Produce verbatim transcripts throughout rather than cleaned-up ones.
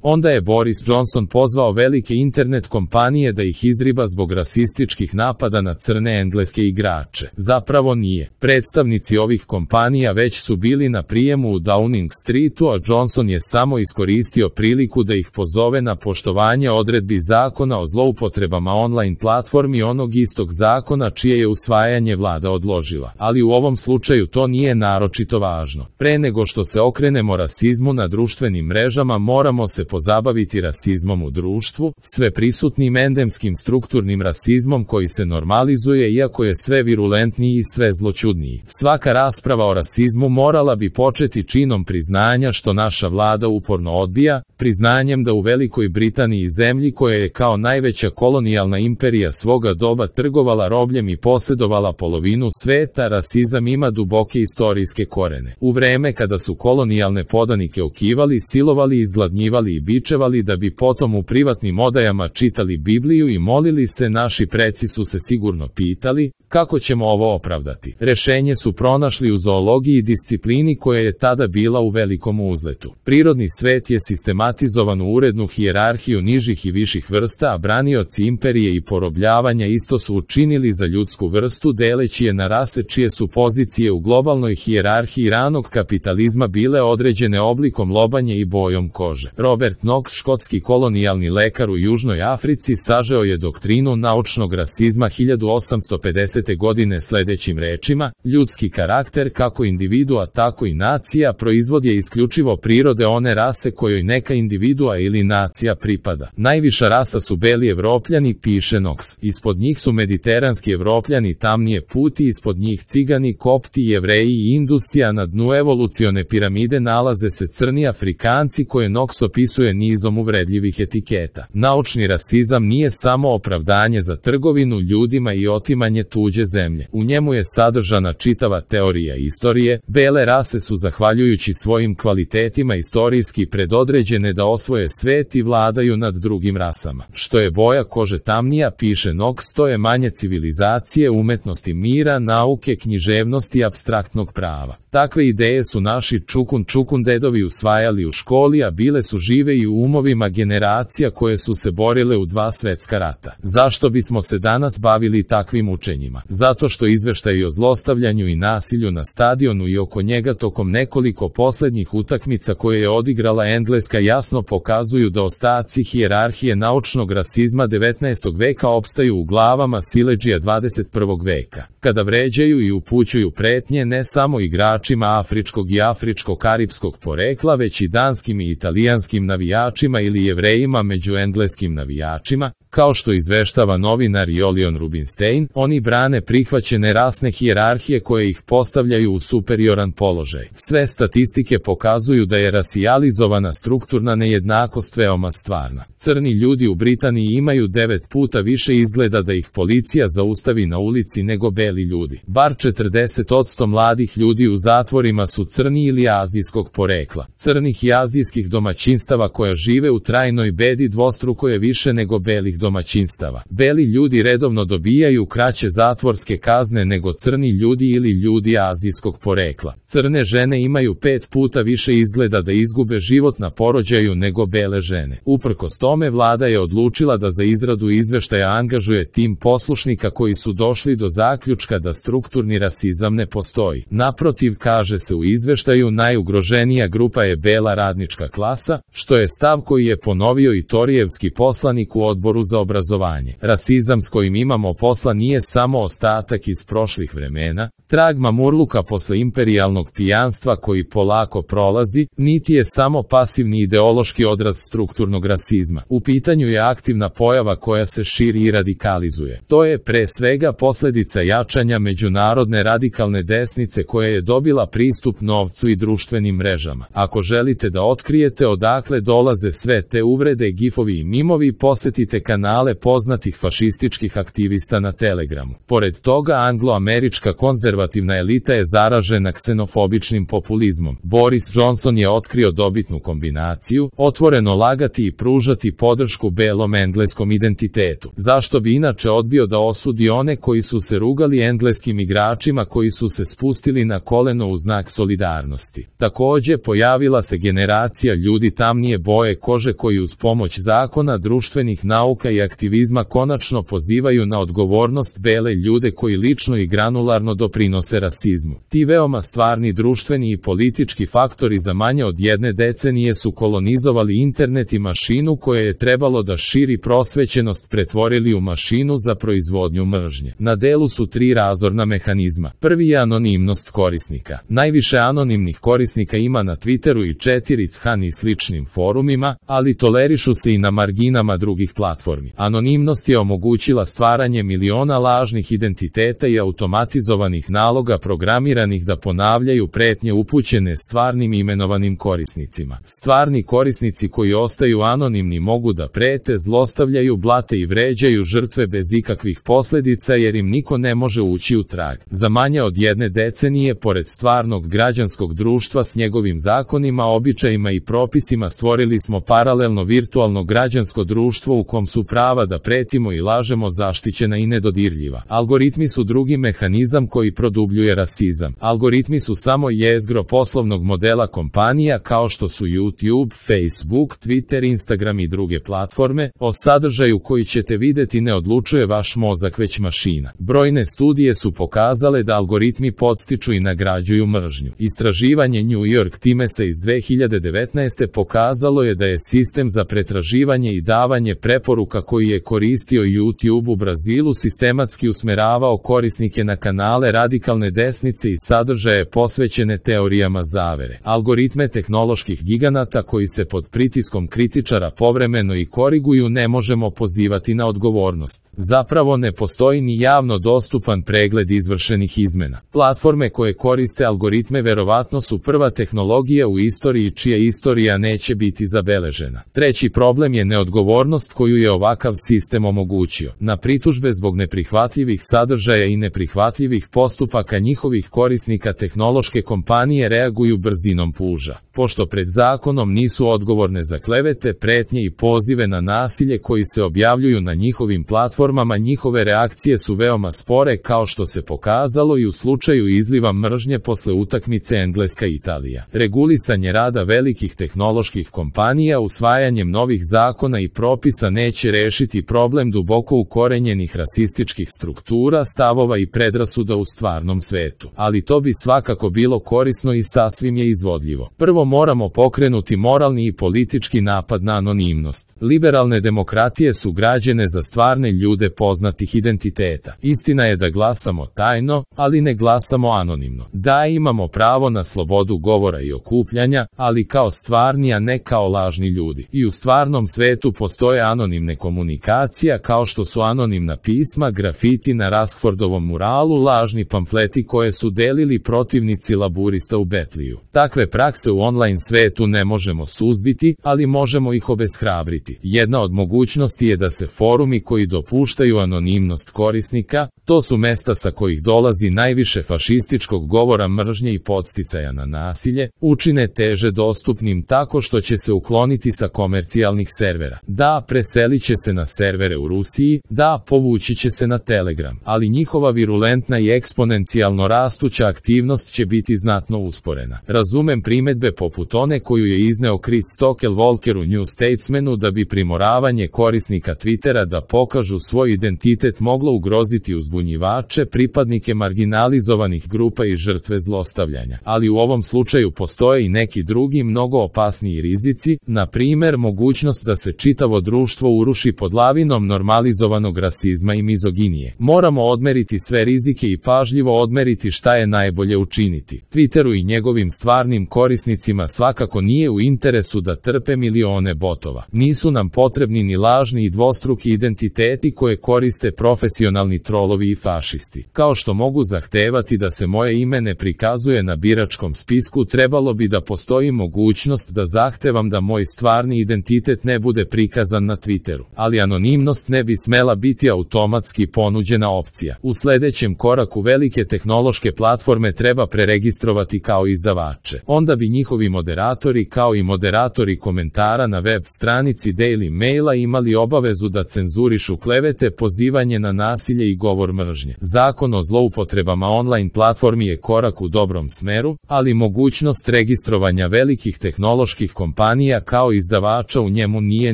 Onda je Boris Johnson pozvao velike internet kompanije da ih izriba zbog rasističkih napada na crne engleske igrače. Zapravo nije. Predstavnici ovih kompanija već su bili na prijemu u Downing Streetu, a Johnson je samo iskoristio priliku da ih pozove na poštovanje odredbi zakona o zloupotrebama online platformi onog istog zakona čije je usvajanje vlada odložila. Ali u ovom slučaju to nije naročito važno. Pre nego što se okrenemo rasizmu na društvenim mrežama, moramo se pozabaviti rasizmom u društvu, sve prisutnim endemskim strukturnim rasizmom koji se normalizuje iako je sve virulentniji i sve zloćudniji. Svaka rasprava o rasizmu morala bi početi činom priznanja što naša vlada uporno odbija, priznanjem da u Velikoj Britaniji, zemlji koja je kao najveća kolonijalna imperija svoga doba trgovala robljem i posjedovala polovinu sveta, rasizam ima duboke istorijske korene. U vreme kada su kolonijalne podanike okivali, silovali, izgladnjivali i bičevali da bi potom u privatnim odajama čitali Bibliju i molili se, naši preci su se sigurno pitali, kako ćemo ovo opravdati? Rešenje su pronašli u zoologiji i disciplini koja je tada bila u velikom uzletu. Prirodni svet je sistematizovan u urednu hijerarhiju nižih i viših vrsta, a branioci imperije i porobljavanja isto su učinili za ljudsku vrstu, deleći je na rase čije su pozicije u globalnoj hijerarhiji ranog kapitalizma bile određene oblikom lobanje i bojom kože. Robert Knox, škotski kolonijalni lekar u Južnoj Africi, sažeo je doktrinu naučnog rasizma hiljadu osamsto pedesete godine sledećim rečima: ljudski karakter, kako individua tako i nacija, proizvod je isključivo prirode one rase kojoj neka individua ili nacija pripada. Najviša rasa su beli Evropljani, piše Knox. Ispod njih su mediteranski Evropljani, tamnije puti, ispod njih cigani, kopti, jevreji i indusi, a na dnu evolucione piramide nalaze se crni Afrikanci koje Knox opisuje nizom uvredljivih etiketa. Naučni rasizam nije samo opravdanje za trgovinu ljudima i otimanje tuđe zemlje. U njemu je sadržana čitava teorija istorije. Bele rase su, zahvaljujući svojim kvalitetima, istorijski predodređene da osvoje svet i vladaju nad drugim rasama. Što je boja kože tamnija, piše Knox, to je manje civilizacije, umetnosti mira, nauke, književnosti i apstraktnog prava. Takve ideje su naši čukun čukun dedovi usvajali u školi, a bile su žive i u umovima generacija koje su se borile u dva svetska rata. Zašto bismo se danas bavili takvim učenjima? Zato što izveštaji o zlostavljanju i nasilju na stadionu i oko njega tokom nekoliko poslednjih utakmica koje je odigrala Engleska jasno pokazuju da ostaci hijerarhije naučnog rasizma devetnaestog veka opstaju u glavama siledžija dvadeset prvog veka. Kada vređaju i upućuju pretnje ne samo igračima afričkog i afričko-karipskog porekla, već i danskim i italijanskim navijačima ili Jevrejima među engleskim navijačima, kao što izveštava novinar Julian Rubinstein, oni brane prihvaćene rasne hijerarhije koje ih postavljaju u superioran položaj. Sve statistike pokazuju da je rasijalizovana strukturna nejednakost veoma stvarna. Crni ljudi u Britaniji imaju devet puta više izgleda da ih policija zaustavi na ulici nego beli ljudi. Bar četrdeset posto mladih ljudi u zatvorima su crni ili azijskog porekla. Crnih i azijskih domaćinstava koja žive u trajnoj bedi dvostruko je više nego belih domaćinstava. Beli ljudi redovno dobijaju kraće zatvorske kazne nego crni ljudi ili ljudi azijskog porekla. Crne žene imaju pet puta više izgleda da izgube život na porođaju nego bele žene. Uprkos tome, vlada je odlučila da za izradu izveštaja angažuje tim poslušnika koji su došli do zaključka da strukturni rasizam ne postoji. Naprotiv, kaže se u izveštaju, najugroženija grupa je bela radnička klasa, što je stav koji je ponovio i torijevski poslanik u odboru za obrazovanje. Rasizam s kojim imamo posla nije samo ostatak iz prošlih vremena, trag mamurluka posle imperijalnog pijanstva koji polako prolazi, niti je samo pasivni ideološki odraz strukturnog rasizma. U pitanju je aktivna pojava koja se širi i radikalizuje. To je pre svega posledica jačanja međunarodne radikalne desnice koja je dobila pristup novcu i društvenim mrežama. Ako želite da otkrijete odakle dolaze sve te uvrede, gifovi i mimovi, posetite kanale poznatih fašističkih aktivista na Telegramu. Pored toga, anglo-američka konzervativna konzervativna elita je zaražena ksenofobičnim populizmom. Boris Johnson je otkrio dobitnu kombinaciju, otvoreno lagati i pružati podršku belom engleskom identitetu. Zašto bi inače odbio da osudi one koji su se rugali engleskim igračima koji su se spustili na koleno u znak solidarnosti? Takođe, pojavila se generacija ljudi tamnije boje kože koji uz pomoć zakona, društvenih nauka i aktivizma konačno pozivaju na odgovornost bele ljude koji lično i granularno doprinose rasizmu. Ti veoma stvarni društveni i politički faktori za manje od jedne decenije su kolonizovali internet i mašinu koja je trebalo da širi prosvećenost pretvorili u mašinu za proizvodnju mržnje. Na delu su tri razorna mehanizma. Prvi je anonimnost korisnika. Najviše anonimnih korisnika ima na Twitteru i četiri chan i sličnim forumima, ali tolerišu se i na marginama drugih platformi. Anonimnost je omogućila stvaranje miliona lažnih identiteta i automatizovanih naloga programiranih da ponavljaju pretnje upućene stvarnim imenovanim korisnicima. Stvarni korisnici koji ostaju anonimni mogu da prete, zlostavljaju, blate i vređaju žrtve bez ikakvih posledica jer im niko ne može ući u trag. Za manje od jedne decenije, pored stvarnog građanskog društva s njegovim zakonima, običajima i propisima, stvorili smo paralelno virtualno građansko društvo u kom su prava da pretimo i lažemo zaštićena i nedodirljiva. Algoritmi su drugi mehanizam koji produbljuje rasizam. Algoritmi su samo jezgro poslovnog modela kompanija kao što su YouTube, Facebook, Twitter, Instagram i druge platforme. O sadržaju koji ćete videti ne odlučuje vaš mozak već mašina. Brojne studije su pokazale da algoritmi podstiču i nagrađuju mržnju. Istraživanje New York Timesa iz dve hiljade devetnaeste. pokazalo je da je sistem za pretraživanje i davanje preporuka koji je koristio YouTube u Brazilu sistematski usmeravao korisnike na kanale radikalne desnice i sadržaje posvećene teorijama zavere. Algoritme tehnoloških giganata koji se pod pritiskom kritičara povremeno i koriguju ne možemo pozivati na odgovornost. Zapravo ne postoji ni javno dostupan pregled izvršenih izmena. Platforme koje koriste algoritme verovatno su prva tehnologija u istoriji čija istorija neće biti zabeležena. Treći problem je neodgovornost koju je ovakav sistem omogućio. Na pritužbe zbog neprihvatljivih sadržaja i neprihvatljivih postupaka njihovih korisnika tehnološke kompanije reaguju brzinom puža. Pošto pred zakonom nisu odgovorne za klevete, pretnje i pozive na nasilje koji se objavljuju na njihovim platformama, njihove reakcije su veoma spore, kao što se pokazalo i u slučaju izliva mržnje posle utakmice Engleska-Italija. Regulisanje rada velikih tehnoloških kompanija usvajanjem novih zakona i propisa neće rešiti problem duboko ukorenjenih rasističkih struktura, stavova i predrasuda u stvarnom svetu. Ali to bi svakako bilo korisno i sasvim je izvodljivo. Prvo moramo pokrenuti moralni i politički napad na anonimnost. Liberalne demokratije su građene za stvarne ljude poznatih identiteta. Istina je da glasamo tajno, ali ne glasamo anonimno. Da, imamo pravo na slobodu govora i okupljanja, ali kao stvarni, a ne kao lažni ljudi. I u stvarnom svetu postoje anonimne komunikacija kao što su anonimna pisma, grafiti na Raskfordovom muralu, lažni pamfleti koje su delili protivnici laburista u Betliju. Takve prakse u online svetu ne možemo suzbiti, ali možemo ih obeshrabriti. Jedna od mogućnosti je da se forumi koji dopuštaju anonimnost korisnika, to su mesta sa kojih dolazi najviše fašističkog govora mržnje i podsticaja na nasilje, učine teže dostupnim tako što će se ukloniti sa komercijalnih servera. Da, preselit će se na servere u Rusiji, da, povući će se na Telegram, ali njihova virulentna i eksponencijalno rastuća aktivnost će biti znatno usporena. Razumem primedbe poput one koju je izneo Chris Stockel-Walker u New Statesmanu da bi primoravanje korisnika Twittera da pokažu svoj identitet moglo ugroziti uzbunjivače, pripadnike marginalizovanih grupa i žrtve zlostavljanja. Ali u ovom slučaju postoje i neki drugi mnogo opasniji rizici, na primer mogućnost da se čitavo društvo uruši pod lavinom normalizovanog rasizma i mizoginije. Moramo odmeriti sve rizike i pažljivo odmeriti šta je najbolje učiniti. Twitteru i njegovim stvarnim korisnicima svakako nije u interesu da trpe milione botova. Nisu nam potrebni ni lažni i dvostruki identiteti koje koriste profesionalni trolovi i fašisti. Kao što mogu zahtevati da se moje ime ne prikazuje na biračkom spisku, trebalo bi da postoji mogućnost da zahtevam da moj stvarni identitet ne bude prikazan na Twitteru. Ali anonimnost ne bi smela biti automatski ponuđena opcija. U sledećem koraku veliki velike tehnološke platforme treba preregistrovati kao izdavače. Onda bi njihovi moderatori kao i moderatori komentara na web stranici Daily Maila imali obavezu da cenzurišu klevete, pozivanje na nasilje i govor mržnje. Zakon o zloupotrebama online platformi je korak u dobrom smeru, ali mogućnost registrovanja velikih tehnoloških kompanija kao izdavača u njemu nije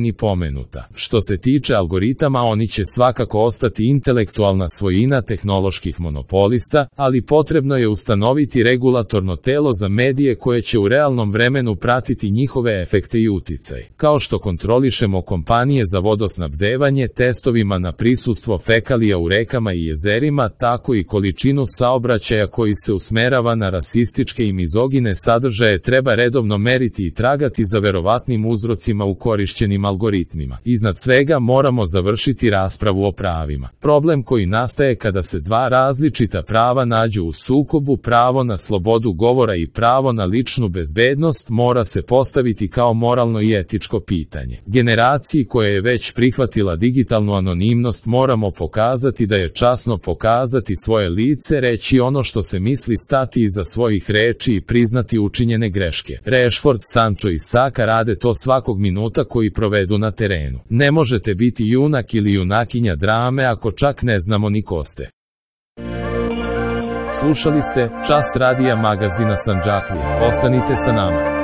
ni pomenuta. Što se tiče algoritama, oni će svakako ostati intelektualna svojina tehnoloških monopolista, ali potrebno je ustanoviti regulatorno telo za medije koje će u realnom vremenu pratiti njihove efekte i uticaj. Kao što kontrolišemo kompanije za vodosnabdevanje testovima na prisustvo fekalija u rekama i jezerima, tako i količinu saobraćaja koji se usmerava na rasističke i mizogine sadržaje treba redovno meriti i tragati za verovatnim uzrocima u korišćenim algoritmima. Iznad svega moramo završiti raspravu o pravima. Problem koji nastaje kada se dva različita prava nađu u sukobu, pravo na slobodu govora i pravo na ličnu bezbednost, mora se postaviti kao moralno i etičko pitanje. Generaciji koja je već prihvatila digitalnu anonimnost moramo pokazati da je časno pokazati svoje lice, reći ono što se misli, stati iza svojih reči i priznati učinjene greške. Rashford, Sancho i Saka rade to svakog minuta koji provedu na terenu. Ne možete biti junak ili junakinja drame ako čak ne znamo ni ko ste. Slušali ste Čas radija magazina Sandžaklija. Ostanite sa nama.